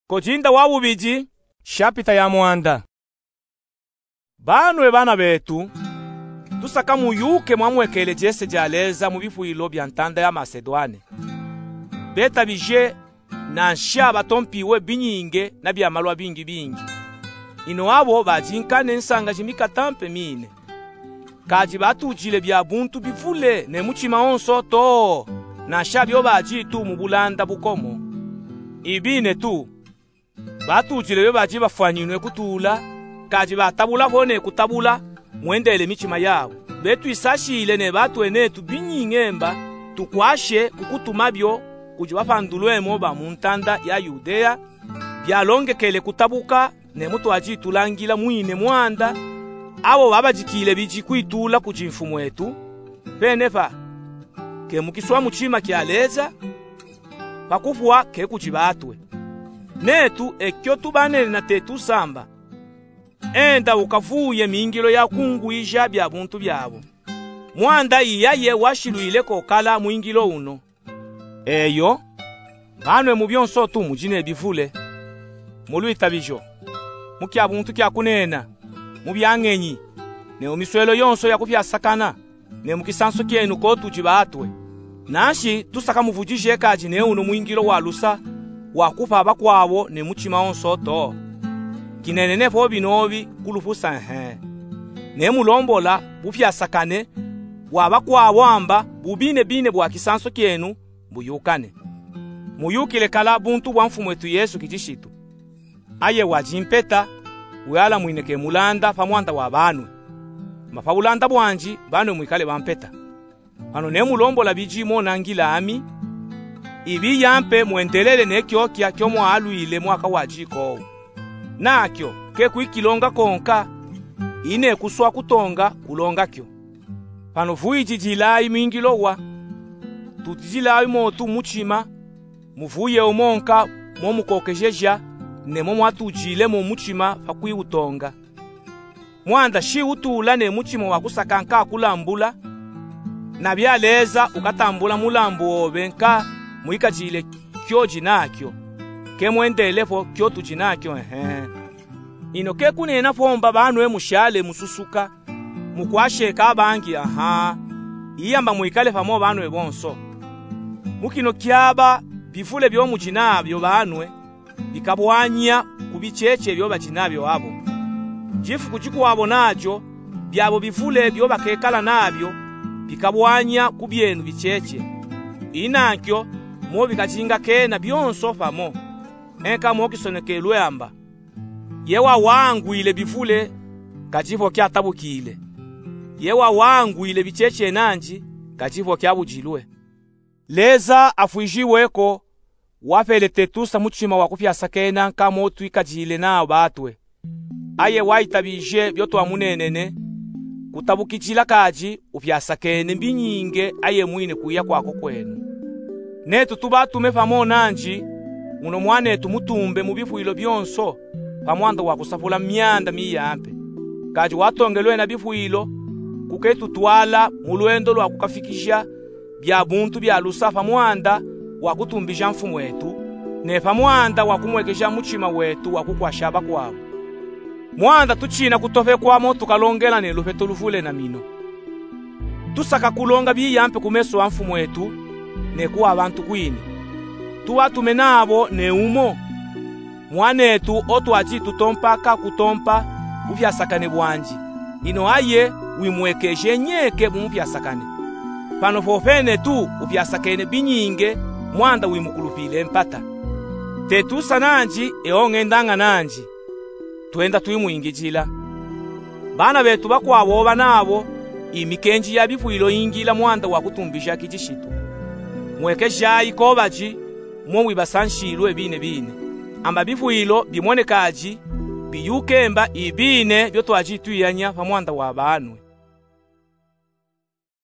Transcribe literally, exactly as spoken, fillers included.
Kojinda wa wubidi, shapita ya mwanda. Banwe bana betu, tusaka muyuke mwamwekele jese ja Leza mu bifwilo bya ntanda ya Masedwane. Betabije, nansha batompiwe binyinge na bya malwa bingibingi. Ino abo badinkane nsanga jimikata mpe mine. Kadi batujile bya buntu bivule ne mutima wonso too, nansha byo baditu mu bulanda bukomo. Ibine tu, batujile byo badi bafwanyinwe kutula, kadi batabula ho ne kutabula, mwendele mitima yabo. Betwisashile ne batwenetu binyinge mba, tukwashe kukutuma byo kudi bapandulwemo ba mu ntanda ya Yudea, byalongekele kutabuka, ne mu twadi tulangila mwine mwanda, abo babadikile bidi kwitula kudi mfumwetu, pene pa, ke mu kiswa mutima kya Leza, pa kufwa ke kudi batwe. Netu ekyo tubanene na tetusamba. Enda ukavuye mingilo ya kungwija bya buntu byabo. Mwanda iyaye washilwile kokala mwingilo uno. Eyo, banwe mu byonso tu mudi ne bivule. Mu lwitabijo, mu kya buntu kya kunena, mu bya ngenyi, ne mu miswelo yonso ya kupyasakana, ne mu kisanso kyenu ko tudi batwe. Nanshi tusaka muvudije kadi ne uno mwingilo wa lusa, wa kupa bakwabo ne mutima wonso too. Kinenene po binobi kulupusa ehe. Ne mulombola bupyasakane bwa bakwabo amba bubinebine bwa kisanso kyenu buyukane. Muyukile kala buntu bwa Mfumwetu Yesu Kilishitu. Aye wadi mpeta, wyalamwine ke mulanda pa mwanda wa banwe. Ma pa bulanda bwandi, banwe mwikale ba mpeta. Pano ne mulombola bidi monangila ami, ibiya mpe mwendelele ne kyokya kyo mwalwile mwaka wadi ko. Nakyo, ke kwikilonga konka, ine kuswa kutonga kulonga kyo. Pano vuyididilayi mwingilo wa, tudidilayi mo tu mutima, muvuye umonka mo mukokejeja, ne mo mwatujile mo mutima pa kwiwutonga. Mwanda shi utula ne mutima wa kusaka nka kulambula, na bya Leza ukatambula mulambu obe nka mwikadile kyo jinakyo, ke mwendele po kyo tujinakyo, ehe. Ino ke kunena po mba banwe mushale mususuka, mukwasheka abangi, aha. Iyamba mwikale pamo banwe bonso. Mu kino kyaba bivule byo mujinabyo banwe, bikabwanya ku bicheche byo bajinabyo abo. Jifuku jikwabo najo, byabo bivule byo bakekala nabyo, bikabwanya ku byenu bicheche. Inankyo, mo bikajingakena byonso pamo. Enka mo kisonekelwe amba. Ye wawangwile bivule, kadi po kyatabukile. Ye wawangwile bicheche nanji, kadi po kyabujilwe. Leza afwijiweko, wapele tetusa mutima wa kupyasakena nka mo twikajile nao batwe. Aye wayitabije byo twamunenene, kutabukijila kadi upyasakene mbinyinge aye mwine kwiya kwako kwenu. Netu tubatume pamo nanji, muno mwanetu mutumbe mu bifwilo byonso, pa mwanda wa kusapula myanda miyampe. Kadi watongelwe na bifwilo, kuketutwala mu lwendo lwa kukafikija bya buntu bya lusa pa mwanda wa kutumbija mfumwetu, ne pa mwanda wa kumwekeja mutima wetu wa kukwasha bakwabo. Mwanda tuchina kutopekwa mo tukalongela ne lupeto luvule na mino. Tusaka kulonga biyampe ku meso a mfumwetu, ne kuwa bantu kwine. Tubatume nabo ne umo. Mwanetu otwadi tutompa ka kutompa bupyasakane bwandi. Ino aye wimwekeje nyeke mu mupyasakane. Pano popene tu upyasakene binyinge mwanda wimukulupile mpata. Tetusa nanji, e ongendanga nanji. Twenda twimwingijila. Bana betu bakwabo oba nabo, imikenji ya bifwilo ingila mwanda wa kutumbija kijishitu. Mwekejayi ko badi, mo mwibasanshilwe bine bine. Amba bifwilo bimonekadi, biyuke mba ibine byo twadi twiyanya pa mwanda wa banwe.